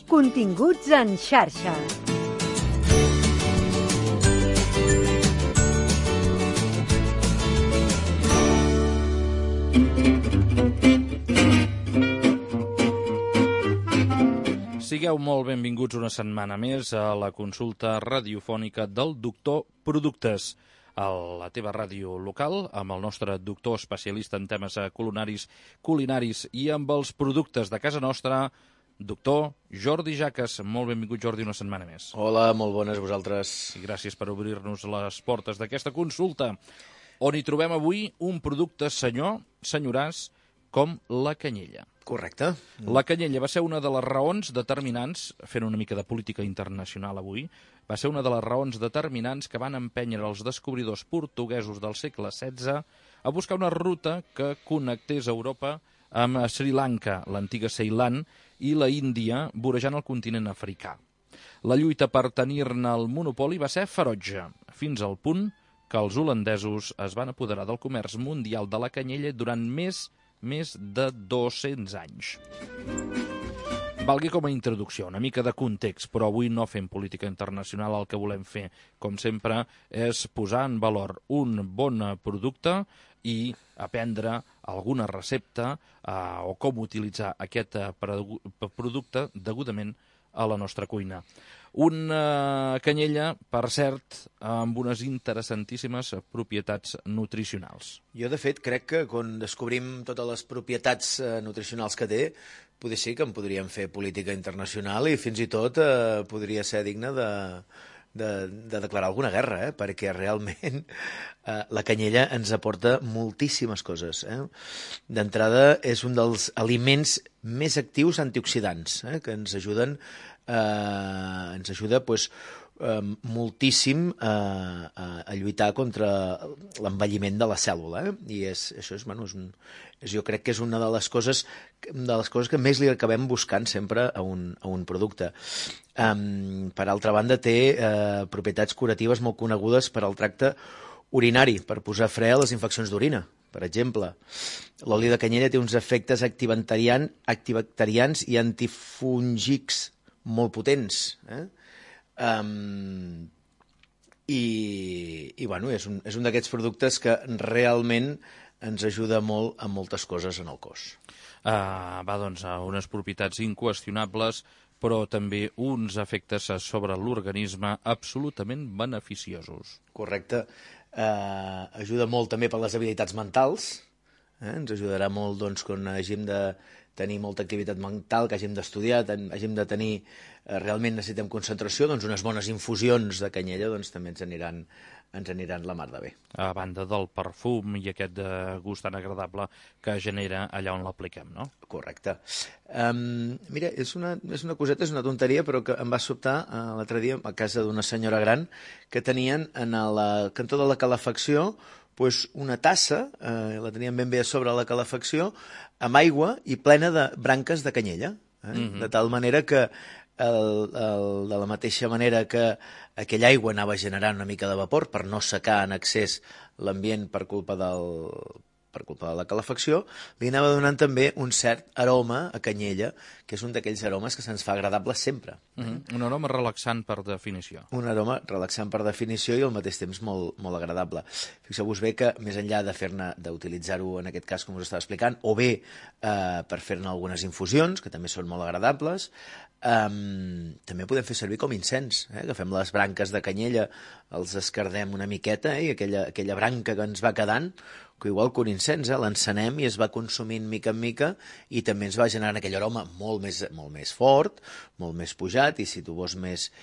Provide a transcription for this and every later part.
Continguts en xarxa. Sigueu molt benvinguts una setmana més a la consulta radiofònica del Doctor Productes, a la teva ràdio local, amb el nostre doctor especialista en temes culinaris i amb els productes de casa nostra, doctor Jordi Jaques. Molt benvingut, Jordi, una setmana més. Hola, molt bones vosaltres. I gràcies per obrir-nos les portes d'aquesta consulta, on hi trobem avui un producte senyoràs com la canyella. Correcte. La canyella va ser una de les raons determinants, fent una mica de política internacional avui, va ser una de les raons determinants que van empènyer els descobridors portuguesos del segle XVI a buscar una ruta que connectés Europa amb Sri Lanka, l'antiga Ceilan, i la Índia, vorejant el continent africà. La lluita per tenir-ne el monopoli va ser ferotge, fins al punt que els holandesos es van apoderar del comerç mundial de la canyella durant més de 200 anys. Valgui com a introducció, una mica de context, però avui no fem política internacional. El que volem fer, com sempre, és posar en valor un bon producte i aprendre alguna recepta o com utilitzar aquest producte degudament a la nostra cuina. Una canyella, per cert, amb unes interessantíssimes propietats nutricionals. Jo, de fet, crec que quan descobrim totes les propietats nutricionals que té, potser sí que en podríem fer política internacional i fins i tot podria ser digne de declarar alguna guerra, perquè realment la canyella ens aporta moltíssimes coses. D'entrada, és un dels aliments més actius antioxidants, que ens ajuden moltíssim a lluitar contra l'envelliment de la cèl·lula. I jo crec que és una de les coses que més li acabem buscant sempre a un producte. Per altra banda, té propietats curatives molt conegudes per al tracte urinari, per posar fre a les infeccions d'orina, per exemple. L'oli de canyella té uns efectes antibacterians i antifúngics molt potents. És un d'aquests productes que realment ens ajuda molt a moltes coses en el cos. Doncs, unes propietats inqüestionables, però també uns efectes sobre l'organisme absolutament beneficiosos. Correcte. Ajuda molt també per les habilitats mentals. Ens ajudarà molt quan hàgim de tenir molta activitat mental, que hàgim d'estudiar, hàgim de tenir, realment necessitem concentració, unes bones infusions de canyella també ens aniran la mar de bé. A banda del perfum i aquest gust tan agradable que genera allà on l'apliquem, no? Correcte. Mira, és una coseta, és una tonteria, però que em va sobtar l'altre dia a casa d'una senyora gran que tenien en el cantó de la calefacció una tassa, la tenien ben bé a sobre la calefacció, amb aigua i plena de branques de canyella. De tal manera que de la mateixa manera que aquella aigua anava generant una mica de vapor per no secar en excés l'ambient per culpa de la calefacció, li anava donant també un cert aroma a canyella, que és un d'aquells aromes que se'ns fa agradable sempre. Un aroma relaxant per definició. Un aroma relaxant per definició i al mateix temps molt, molt agradable. Fixeu-vos bé que més enllà d'utilitzar-ho en aquest cas com us estava explicant, o bé per fer-ne algunes infusions, que també són molt agradables, també podem fer servir com incens. Agafem les branques de canyella, els escardem una miqueta i aquella branca que ens va quedant, que igual que un incens, l'encenem i es va consumint mica en mica i també ens va generant aquell aroma molt més fort, molt més pujat i si tu vols més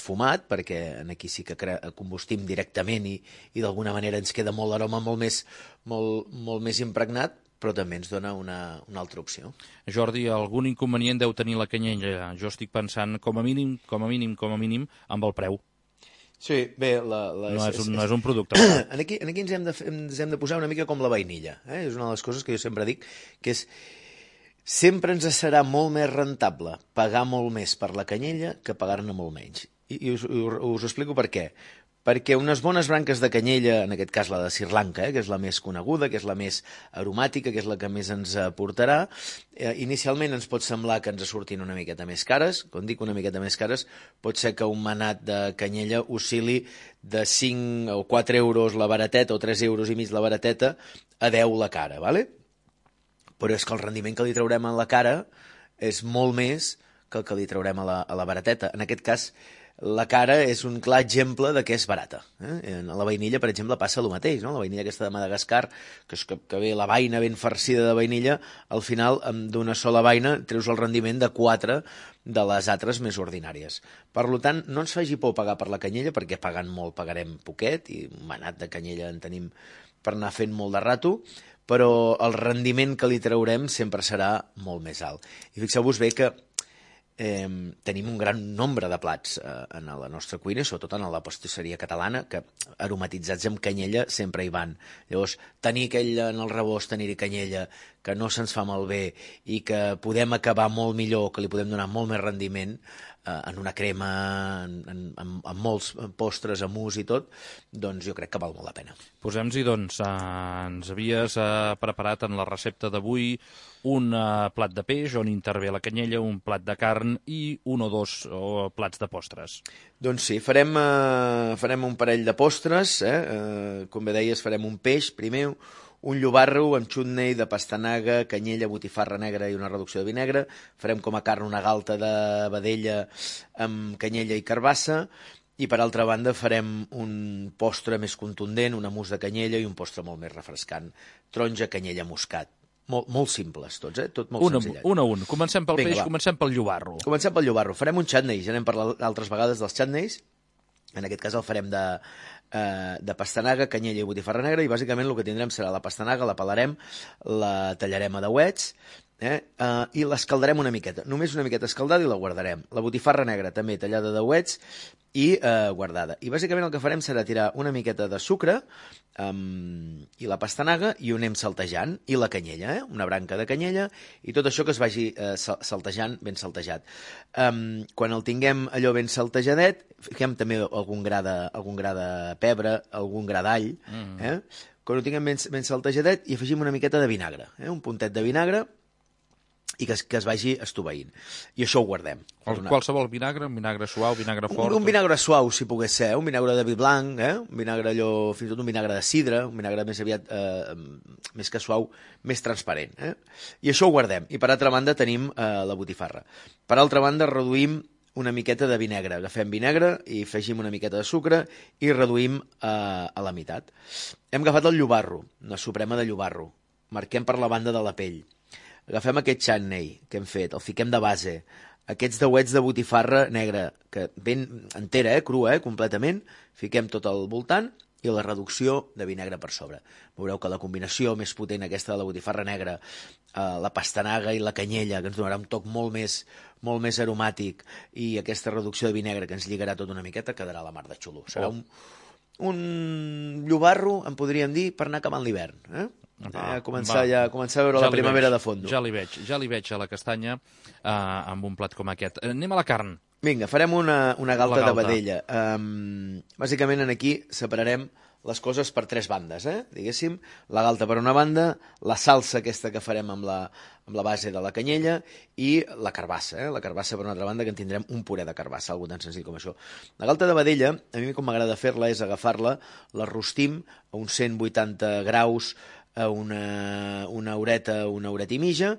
fumat, perquè aquí sí que combustim directament i d'alguna manera ens queda molt l'aroma molt més impregnat, però també ens dona una altra opció. Jordi, algun inconvenient deu tenir la canyella? Jo estic pensant com a mínim, amb el preu. Sí, bé... No és un producte. Aquí ens hem de posar una mica com la vainilla. És una de les coses que jo sempre dic, que és sempre ens serà molt més rentable pagar molt més per la canyella que pagar-ne molt menys. I us explico per què. perquè unes bones branques de canyella, en aquest cas la de Sri Lanka, que és la més coneguda, que és la més aromàtica, que és la que més ens aportarà, inicialment ens pot semblar que ens surtin una miqueta més cares. Quan dic una miqueta més cares, pot ser que un manat de canyella oscil·li de 5 o 4 euros la barateta o 3 euros i mig la barateta a 10 la cara, ¿vale? Però és que el rendiment que li traurem a la cara és molt més que el que li traurem a la barateta. En aquest cas, la cara és un clar exemple de que és barata. En la vainilla, per exemple, passa el mateix, no? La vainilla aquesta de Madagascar, que ve la vaina ben farcida de vainilla, al final, d'una sola vaina, treus el rendiment de 4 de les altres més ordinàries. Per tant, no ens faci por pagar per la canyella, perquè pagant molt pagarem poquet, i un manat de canyella en tenim per anar fent molt de rato, però el rendiment que li traurem sempre serà molt més alt. I fixeu-vos bé que tenim un gran nombre de plats en la nostra cuina, sobretot en la pastisseria catalana, que aromatitzats amb canyella sempre hi van. Llavors, tenir aquell en el rebost, tenir-hi canyella, que no se'ns fa malbé i que podem acabar molt millor, que li podem donar molt més rendiment en una crema, amb molts postres, amús i tot, doncs jo crec que val molt la pena. Posem-hi, doncs, ens havies preparat en la recepta d'avui un plat de peix on intervé la canyella, un plat de carn i un o dos plats de postres. Doncs sí, farem un parell de postres, com bé deies, farem un peix primer, un llobarro amb xutney de pastanaga, canyella, botifarra negra i una reducció de vinagre. Farem com a carn una galta de vedella amb canyella i carbassa. I per altra banda farem un postre més contundent, un mousse de canyella i un postre molt més refrescant. Taronja, canyella, moscat. Molt simples tots, tot molt senzillet. Un a un. Comencem pel peix, comencem pel llobarro. Comencem pel llobarro. Farem un chutney, ja n'hem parlat altres vegades dels chutneys. En aquest cas el farem de pastanaga, canyella i botifarra negra, i bàsicament el que tindrem serà la pastanaga, la pelarem, la tallarem a dauets, i l'escaldarem una miqueta, només una miqueta escaldada, i la guardarem. La botifarra negra també tallada a dauets i guardada. I bàsicament el que farem serà tirar una miqueta de sucre i la pastanaga, i ho anem saltejant, i la canyella, una branca de canyella, i tot això que es vagi saltejant, ben saltejat. Quan el tinguem allò ben saltejadet, fiquem també algun gra de pebre, algun gra d'all, quan ho tinguem ben saltejadet, i afegim una miqueta de vinagre, un puntet de vinagre, i que es vagi estoveint. I això ho guardem. Qualsevol vinagre, un vinagre suau, vinagre fort... Un vinagre suau, si pogués ser, un vinagre de vi blanc, un vinagre allò, fins i tot un vinagre de sidra, un vinagre més aviat, més que suau, més transparent. I això ho guardem. I per altra banda tenim la botifarra. Per altra banda reduïm una miqueta de vinagre. Agafem vinagre i afegim una miqueta de sucre i reduïm a la meitat. Hem agafat el llobarro, una suprema de llobarro. Marquem per la banda de la pell. Agafem aquest chutney que hem fet, el fiquem de base, aquests dauets de botifarra negra, que ben entera, crua, completament, fiquem tot al voltant, i la reducció de vinagre per sobre. Veureu que la combinació més potent aquesta de la botifarra negra, la pastanaga i la canyella, que ens donarà un toc molt més aromàtic, i aquesta reducció de vinagre que ens lligarà tot una miqueta, quedarà a la mar de xulo. Serà un llobarro, en podríem dir, per anar acabant l'hivern, començar a veure la primavera de fondo. Ja li veig a la castanya amb un plat com aquest. Anem a la carn. Vinga, farem una galta de vedella. Bàsicament aquí separarem les coses per 3 bandes, diguéssim. La galta per una banda, la salsa aquesta que farem amb la base de la canyella, i la carbassa. La carbassa per una altra banda, que en tindrem un puré de carbassa, algo tan senzill com això. La galta de vedella, a mi com m'agrada fer-la és agafar-la, la rostim a uns 180 graus, a una horeta i mitja,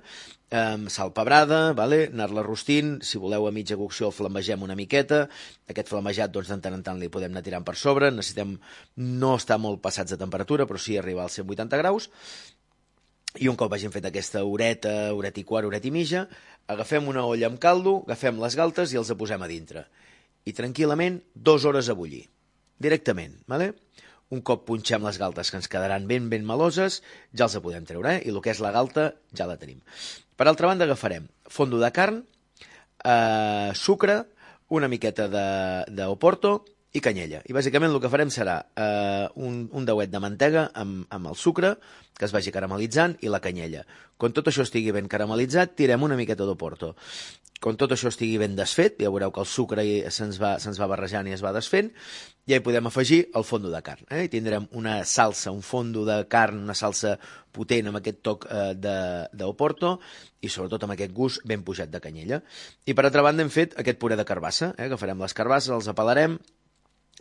sal pebrada, anar-la rostint, si voleu a mitja cocció el flambegem una miqueta, aquest flambejat doncs de tant en tant li podem anar tirant per sobre, necessitem no estar molt passats de temperatura, però sí arribar als 180 graus, i un cop hagin fet aquesta horeta i quart, horeta i mitja, agafem una olla amb caldo, agafem les galtes i els posem a dintre, i tranquil·lament 2 hores a bullir, directament, Un cop punxem les galtes, que ens quedaran ben meloses, ja els podem treure, i el que és la galta ja la tenim. Per altra banda agafarem fondo de carn, sucre, una miqueta d'oporto i canyella. I bàsicament el que farem serà un dauet de mantega amb el sucre, que es vagi caramelitzant, i la canyella. Quan tot això estigui ben caramelitzat, tirem una miqueta d'oporto. quan tot això estigui ben desfet, ja veureu que el sucre se'ns va barrejant i es va desfent, ja hi podem afegir el fondo de carn. I tindrem una salsa, un fondo de carn, una salsa potent amb aquest toc d'Oporto i sobretot amb aquest gust ben pujat de canyella. I per altra banda hem fet aquest puré de carbassa, que farem les carbasses, els apelarem,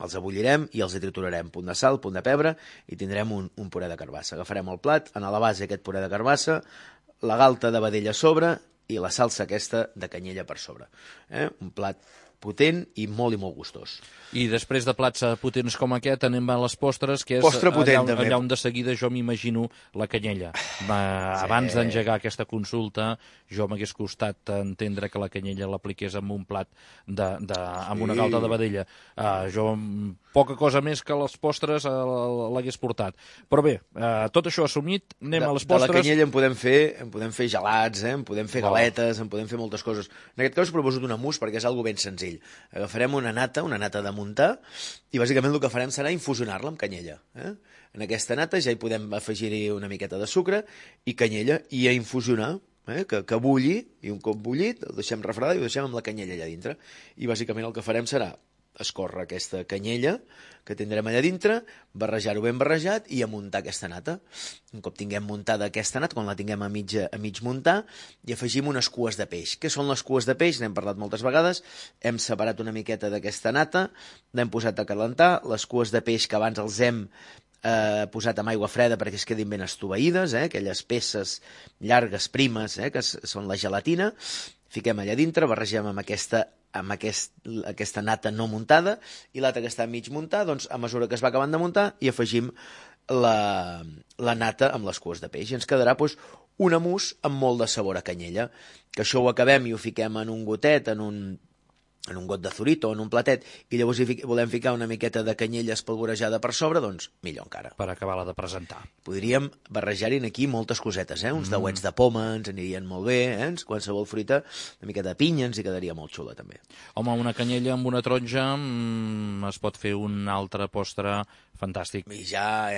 els abullirem i els triturarem, punt de sal, punt de pebre, i tindrem un puré de carbassa. Agafarem el plat, a la base aquest puré de carbassa, la galta de vedella a sobre i la salsa aquesta de canyella per sobre. Un plat potent i molt gustós. I després de plats potents com aquest anem a les postres, que és Postre potent, allà on de seguida jo m'imagino la canyella. Abans d'engegar aquesta consulta, jo m'hagués costat entendre que la canyella l'apliqués amb un plat amb una galta de vedella. Jo poca cosa més que les postres l'hagués portat. Però bé, tot això assumit, anem a les postres. De la canyella en podem fer gelats, en podem fer galetes, en podem fer moltes coses. En aquest cas us proposo un mousse perquè és algo ben senzill. Agafarem una nata de muntar, i bàsicament el que farem serà infusionar-la amb canyella. En aquesta nata ja hi podem afegir-hi una miqueta de sucre i canyella i a infusionar, que bulli, i un cop bullit el deixem refredar i ho deixem amb la canyella allà dintre. I bàsicament el que farem serà escórrer aquesta canyella que tindrem allà dintre, barrejar-ho ben barrejat i a muntar aquesta nata. Un cop tinguem muntada aquesta nata, quan la tinguem a mig muntar, i afegim unes cues de peix. Què són les cues de peix? N'hem parlat moltes vegades. Hem separat una miqueta d'aquesta nata, l'hem posat a calentar, les cues de peix que abans els hem posat amb aigua freda perquè es quedin ben estoveïdes, aquelles peces llargues, primes, que són la gelatina, fiquem allà dintre, barregem amb aquesta nata no muntada i l'altra que està mig muntar, doncs a mesura que es va acabant de muntar hi afegim la nata amb les cues de peix i ens quedarà una mousse amb molt de sabor a canyella, que això ho acabem i ho fiquem en un gotet, en un got de zurito o en un platet, i llavors hi volem ficar una miqueta de canyella espolvorejada per sobre, doncs millor encara. Per acabar-la de presentar. Podríem barrejar-hi aquí moltes cosetes, uns dauets de poma ens anirien molt bé, qualsevol fruita, una miqueta de pinya ens hi quedaria molt xula també. Home, una canyella amb una taronja es pot fer un altre postre fantàstic. I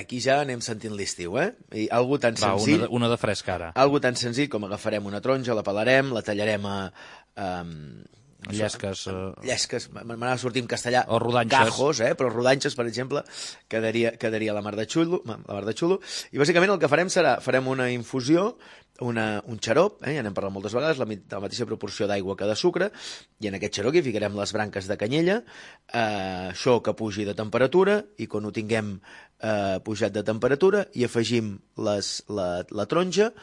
aquí ja anem sentint l'estiu, I algo tan senzill... Una de fresc ara. Algo tan senzill com agafarem una taronja, la pelarem, la tallarem llesques, m'anava a sortir en castellà, o rodanxes. Cajos, però rodanxes, per exemple, quedaria la mar de xulo, i bàsicament el que farem una infusió, un xarop, ja n'hem parlat moltes vegades, la mateixa proporció d'aigua que de sucre, i en aquest xarop hi ficarem les branques de canyella, això que pugi de temperatura, i quan ho tinguem pujat de temperatura, hi afegim la taronja,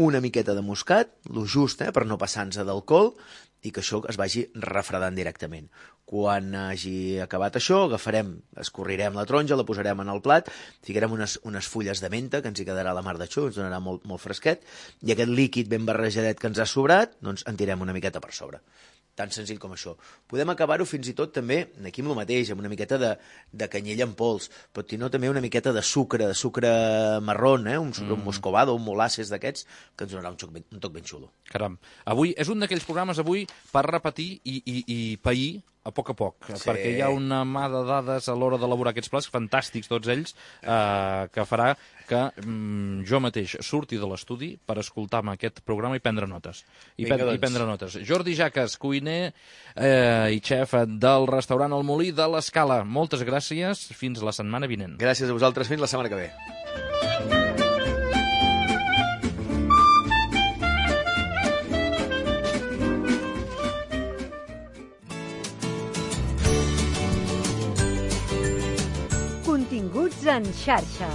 una miqueta de muscat, lo just, per no passar-nos d'alcohol, i que això es vagi refredant directament. Quan hagi acabat això, escorrirem la taronja, la posarem en el plat, ficarem unes fulles de menta, que ens hi quedarà la mar de xou, ens donarà molt fresquet, i aquest líquid ben barrejadet que ens ha sobrat, doncs en tirem una miqueta per sobre. Tan senzill com això. Podem acabar-ho fins i tot també, aquí amb el mateix, amb una miqueta de canyella en pols, però si no també una miqueta de sucre marrón, un sucre moscovado, un molasses d'aquests, que ens donarà un toc ben xulo. Caram, avui és un d'aquells programes per repetir i pair a poc, perquè hi ha una mà de dades a l'hora d'elaborar aquests plats, fantàstics tots ells, que farà que jo mateix surti de l'estudi per escoltar-me aquest programa i prendre notes. Prendre notes. Jordi Jaques, cuiner i xef del restaurant El Molí de l'Escala. Moltes gràcies, fins la setmana vinent. Gràcies a vosaltres, fins la setmana que ve. Continguts en xarxa.